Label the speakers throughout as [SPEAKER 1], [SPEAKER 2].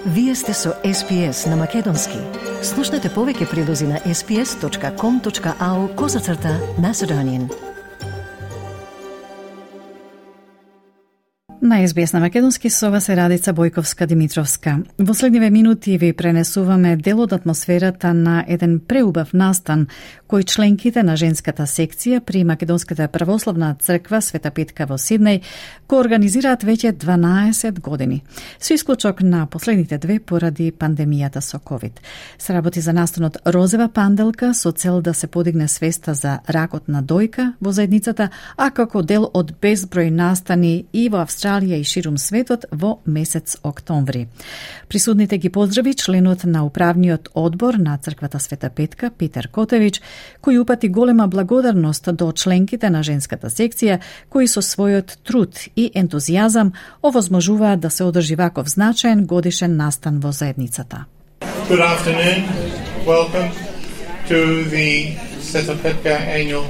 [SPEAKER 1] Вие сте со SPS на Македонски. Слушнете повеќе прилози на sps.com.au/Macedonian.
[SPEAKER 2] На SBS на Македонски со вас е Радица Бојковска-Димитровска. Во следниве минути ви пренесуваме дел од атмосферата на еден преубав настан кој членките на женската секција при Македонската православна црква Света Петка во Сиднеј го организираат веќе 12 години. Со исклучок на последните две поради пандемијата со COVID. Се работи за настанот Розова панделка со цел да се подигне свеста за ракот на дојка во заедницата, а како дел од безброј настани и во Австралија и ширум светот во месец октомври. Присутните ги поздрави членот на управниот одбор на црквата Света Петка Питер Котевич, кој упати голема благодарност до членките на женската секција, кои со својот труд и ентузијазам овозможуваат да се одржи ваков значаен годишен настан во заедницата.
[SPEAKER 3] Good afternoon. Welcome to the Sveta Petka annual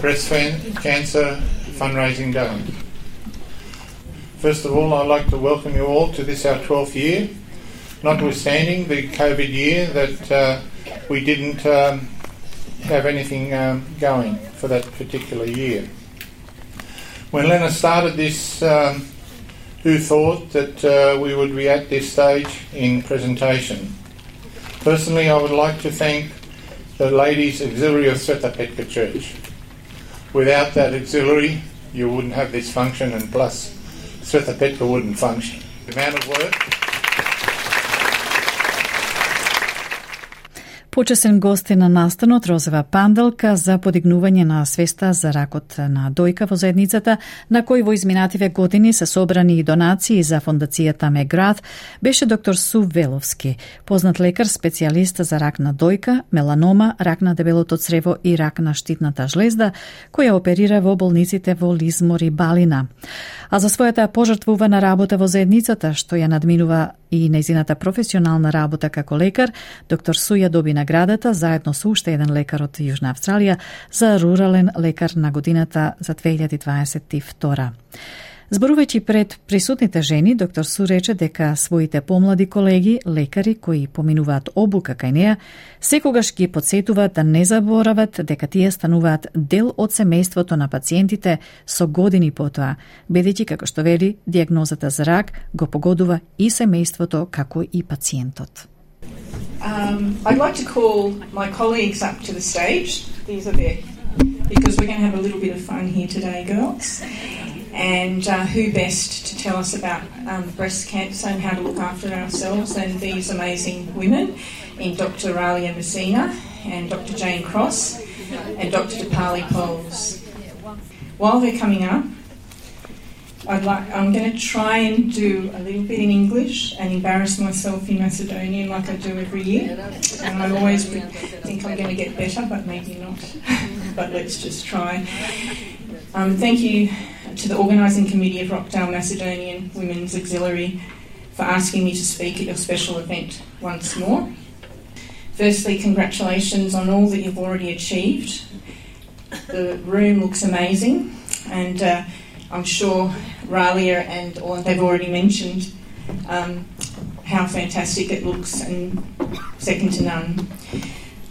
[SPEAKER 3] breast cancer fundraising day. First of all, I'd like to welcome you all to this, our 12th year, notwithstanding the COVID year that we didn't have anything going for that particular year. When Lena started this, who thought that we would be at this stage in presentation? Personally, I would like to thank the Ladies Auxiliary of Sveta Petka Church. Without that auxiliary, you wouldn't have this function, and plus Sveta Petka wouldn't function. The amount of work.
[SPEAKER 2] Почесен гост е на настанот Розова панделка за подигнување на свеста за ракот на дојка во заедницата, на кој во изминативе години се собрани и донации за фондацијата Меград, беше доктор Су Веловски, познат лекар специјалист за рак на дојка, меланома, рак на дебелото црево и рак на штитната жлезда, која оперира во болниците во Лизмор и Балина. А за својата пожртвувана работа во заедницата, што ја надминува и нејзината професионална работа како лекар, доктор Су ја доби наградата заедно со уште еден лекар од Јужна Австралија за рурален лекар на годината за 2022. Зборувајќи пред присутните жени, доктор Су рече дека своите помлади колеги, лекари кои поминуваат обука кај неа, секогаш ги подсетуваат да не заборават дека тие стануваат дел од семејството на пациентите со години потоа, бидејќи, како што вели, дијагнозата за рак го погодува и семејството како и пациентот.
[SPEAKER 4] I'd like to call my colleagues up to the stage. These are there, because we're going to have a little bit of fun here today, girls. And who best to tell us about breast cancer and how to look after ourselves than these amazing women in Dr. Ralia Messina and Dr. Jane Cross and Dr. Dipali Poles. While they're coming up, I'm going to try and do a little bit in English and embarrass myself in Macedonian like I do every year. And I always think I'm going to get better, but maybe not. But let's just try. Thank you to the organising committee of Rockdale Macedonian Women's Auxiliary for asking me to speak at your special event once more. Firstly, congratulations on all that you've already achieved. The room looks amazing, and I'm sure Ralia and they've already mentioned how fantastic it looks and second to none.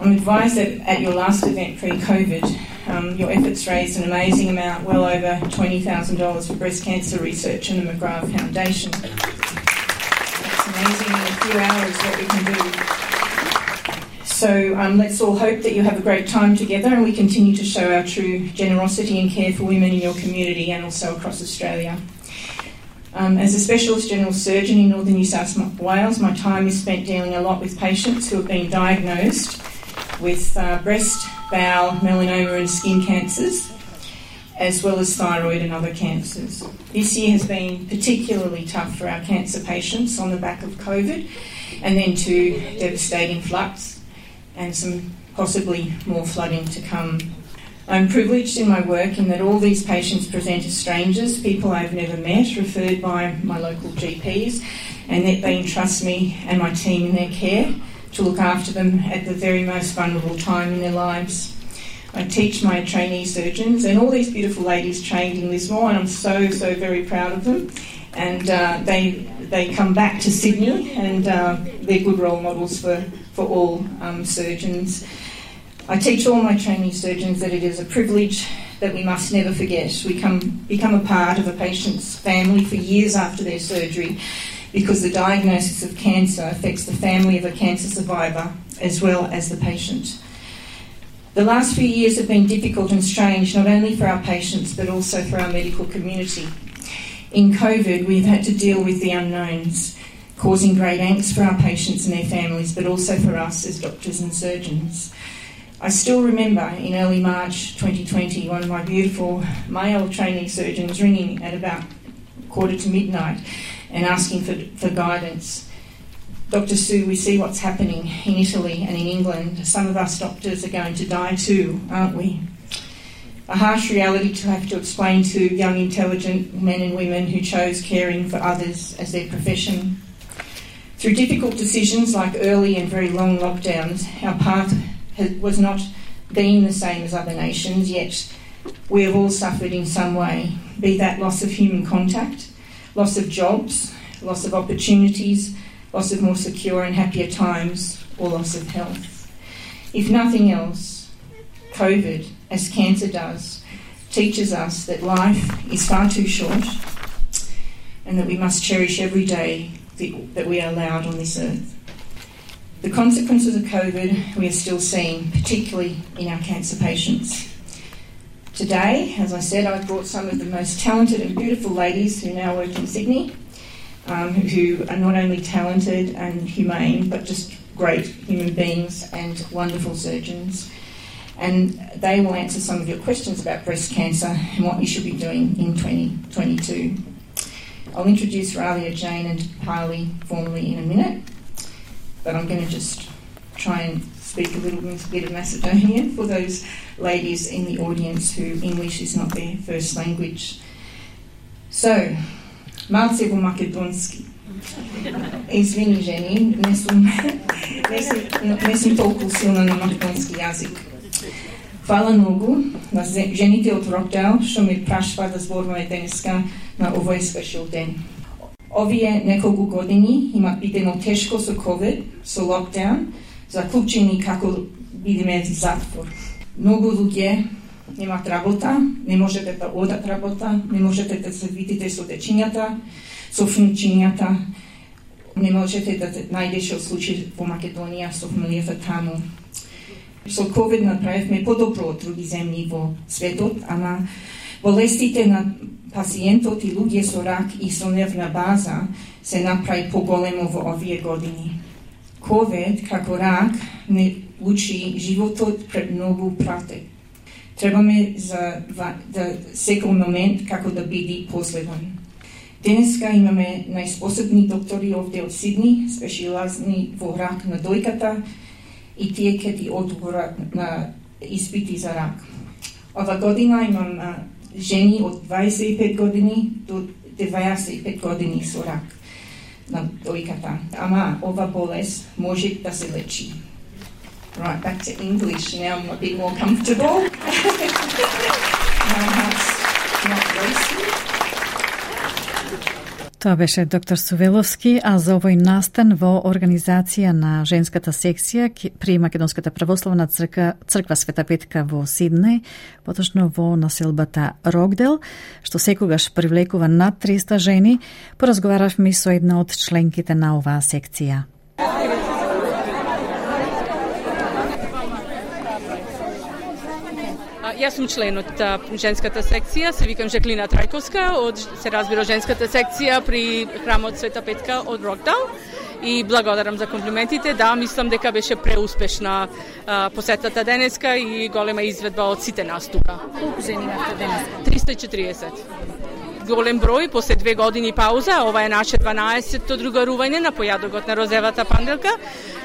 [SPEAKER 4] I'm advised that at your last event pre-COVID, your efforts raised an amazing amount, well over $20,000 for breast cancer research and the McGrath Foundation. That's amazing in a few hours what we can do. So let's all hope that you have a great time together and we continue to show our true generosity and care for women in your community and also across Australia. As a specialist general surgeon in northern New South Wales, my time is spent dealing a lot with patients who have been diagnosed with breast, bowel, melanoma and skin cancers, as well as thyroid and other cancers. This year has been particularly tough for our cancer patients on the back of COVID and then two devastating floods and some possibly more flooding to come. I'm privileged in my work in that all these patients present as strangers, people I've never met, referred by my local GPs, and that they entrust me and my team in their care to look after them at the very most vulnerable time in their lives. I teach my trainee surgeons, and all these beautiful ladies trained in Lismore, and I'm so very proud of them. And they come back to Sydney, and they're good role models for all surgeons. I teach all my trainee surgeons that it is a privilege that we must never forget. We become a part of a patient's family for years after their surgery, because the diagnosis of cancer affects the family of a cancer survivor as well as the patient. The last few years have been difficult and strange, not only for our patients but also for our medical community. In COVID, we've had to deal with the unknowns, causing great angst for our patients and their families, but also for us as doctors and surgeons. I still remember in early March 2020 one of my beautiful male trainee surgeons ringing at about 1:45 and asking for guidance. Dr. Sue, we see what's happening in Italy and in England. Some of us doctors are going to die too, aren't we? A harsh reality to have to explain to young, intelligent men and women who chose caring for others as their profession. Through difficult decisions like early and very long lockdowns, our path was not been the same as other nations, yet we have all suffered in some way, be that loss of human contact, loss of jobs, loss of opportunities, loss of more secure and happier times, or loss of health. If nothing else, COVID, as cancer does, teaches us that life is far too short and that we must cherish every day that we are allowed on this earth. The consequences of COVID we are still seeing, particularly in our cancer patients. Today, as I said, I've brought some of the most talented and beautiful ladies who now work in Sydney, who are not only talented and humane, but just great human beings and wonderful surgeons. And they will answer some of your questions about breast cancer and what you should be doing in 2022. I'll introduce Ralia, Jane and Harley formally in a minute, but I'm going to just try and speak a little bit of Macedonian for those ladies in the audience who English is not their first language. So, malce vo makedonski. Извини, жени, не сум толку силна на македонски јазик. Фала многу на жените од Рокдейл што ме прашува да зборуваме денеска на овој спешил ден. Овие неколку години има бидено тешко со COVID, со локдаун, заклучени како бидеме в затвор. Многу луѓе немаат работа, не можете да одат работа, не можете да се видите со дечињата, со внучињата, не можете да најдете случаи во Македонија со фамилијата таму. Со COVID направивме подобро од други земји во светот, ама болестите на пациентот и луѓе со рак и со нервна база се направи поголемо во овие години. COVID, како рак, не учи животот пред многу пратек. Требаме да секој момент како да биде последен. Денеска имаме најспособни доктори овде од Сидни, спешилизни во рак на дојката, и тие ќе ти одговорат на испити за рак. Ова година имам жени од 25 години до 95 години со рак на дојката. Ама ова болест може да се лечи. Right, back to English. Now I'm a bit more comfortable. My heart's not racing.
[SPEAKER 2] Тоа беше доктор Сувеловски, а за овој настан во организација на женската секција при Македонската православна црква Света Петка во Сиднеј, поточно во населбата Рокдейл, што секогаш привлекува над 300 жени, поразговаравме со една од членките на оваа секција.
[SPEAKER 5] Јас сум член од женската секција, се викам Жаклина Трајковска, се разбира женската секција при храмот Света Петка од Рокдейл и благодарам за комплиментите. Да, мислам дека беше преуспешна посетата денеска и голема изведба од сите нас тука.
[SPEAKER 2] Колку жени имате денеска?
[SPEAKER 5] 340. Голем број, после 2 години пауза, ова е наше 12-то другарување на појадокот на розевата панделка,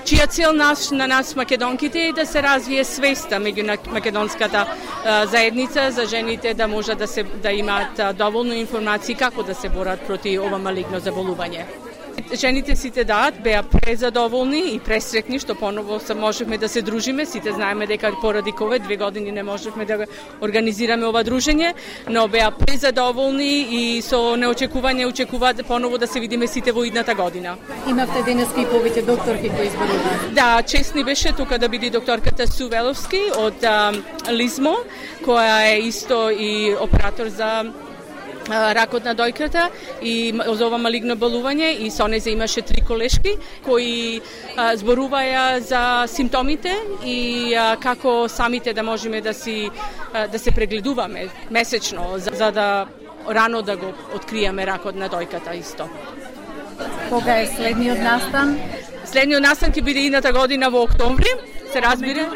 [SPEAKER 5] чија цел на нас македонките е да се развие свеста меѓу македонската заедница за жените да можат да имаат доволно информации како да се борат проти ова малигно заболување. Жените сите беа презадоволни и пресрекни што поново можевме да се дружиме. Сите знаеме дека поради COVID 2 години не можевме да организираме ова дружење, но беа презадоволни и со неочекување очекуваат поново да се видиме сите во идната година.
[SPEAKER 2] Имавте денеска и повеќе докторки кои изборуваат.
[SPEAKER 5] Да, чест ни беше тука да биде докторката Су Веловски од Лизмо, која е исто и оператор за ракот на дојката и за ова малигно болување, и со неја имаше 3 колешки кои зборуваја за симптомите и како самите да можеме да се прегледуваме месечно за да рано да го откриеме ракот на дојката исто.
[SPEAKER 2] Кога е следниот настан?
[SPEAKER 5] Следниот настан ќе биде идната година во октомври, се разбира.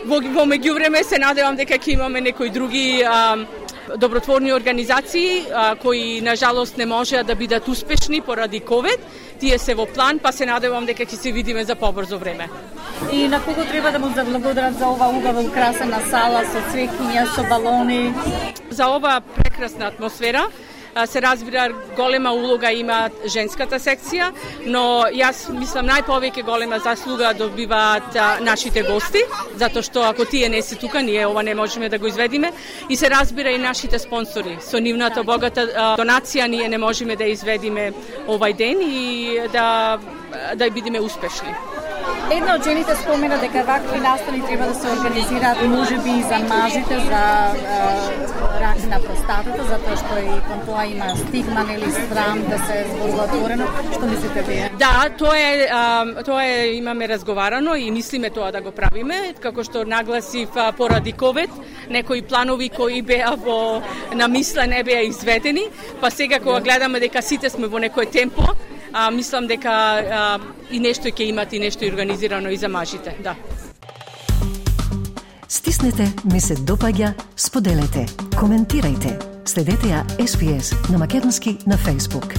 [SPEAKER 5] Во меѓувреме се надевам дека ќе имаме некои други добротворни организации кои на жалост не можеа да бидат успешни поради COVID. Тие се во план, па се надевам дека ќе се видиме за побрзо време.
[SPEAKER 2] И на кого треба да му заблагодарат за ова убава украсена сала со цвеќиња, со балони?
[SPEAKER 5] За ова прекрасна атмосфера се разбира голема улога има женската секција, но јас мислам најповеќе голема заслуга добиваат нашите гости, затоа што ако тие не се тука, ние ова не можеме да го изведиме, и се разбира и нашите спонсори. Со нивната богата донација ние не можеме да изведиме овај ден и да бидеме успешни.
[SPEAKER 2] Една од жените спомена дека вакви настани треба да се организираат можеби и за мажите, за рак на простатата, затоа што и кон тоа има стигма или срам да се зборува отворено. Што мислите вие?
[SPEAKER 5] Да, тоа е имаме разговарано и мислиме тоа да го правиме, како што нагласив поради COVID, некои планови кои беа на мисла не беа изведени, па сега кога гледаме дека сите сме во некој темпо, мислам дека и нешто ќе имат и нешто организирано и за мажите, да.
[SPEAKER 1] Стиснете, ми се допаѓа, споделете, коментирајте. Следете ја SPS на Македонски на Facebook.